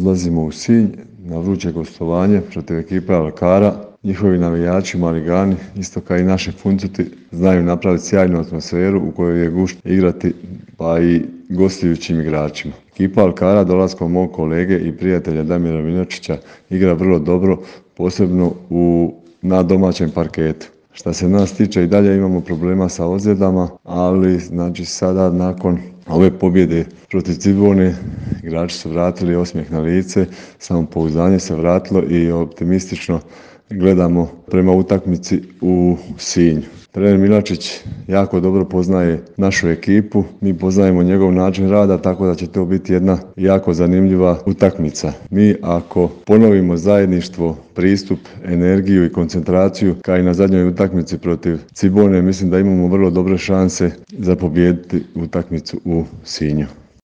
odlazimo u Sinj na vruće gostovanje protiv ekipe Alkara. Njihovi navijači, maligani, isto kao i naši Funcuti, znaju napraviti sjajnu atmosferu u kojoj je gušt igrati pa i gostujućim igračima. Ekipa Alkara dolaskom mog kolege i prijatelja Damira Minočića igra vrlo dobro, posebno na domaćem parketu. Što se nas tiče i dalje imamo problema sa ozljedama, ali znači sada nakon ove pobjede protiv Cibone igrači su vratili osmijeh na lice, samopouzdanje se vratilo i optimistično gledamo prema utakmici u Sinju. Trener Milačić jako dobro poznaje našu ekipu, mi poznajemo njegov način rada, tako da će to biti jedna jako zanimljiva utakmica. Mi ako ponovimo zajedništvo, pristup, energiju i koncentraciju kao i na zadnjoj utakmici protiv Cibone, mislim da imamo vrlo dobre šanse za pobijediti utakmicu u Sinju.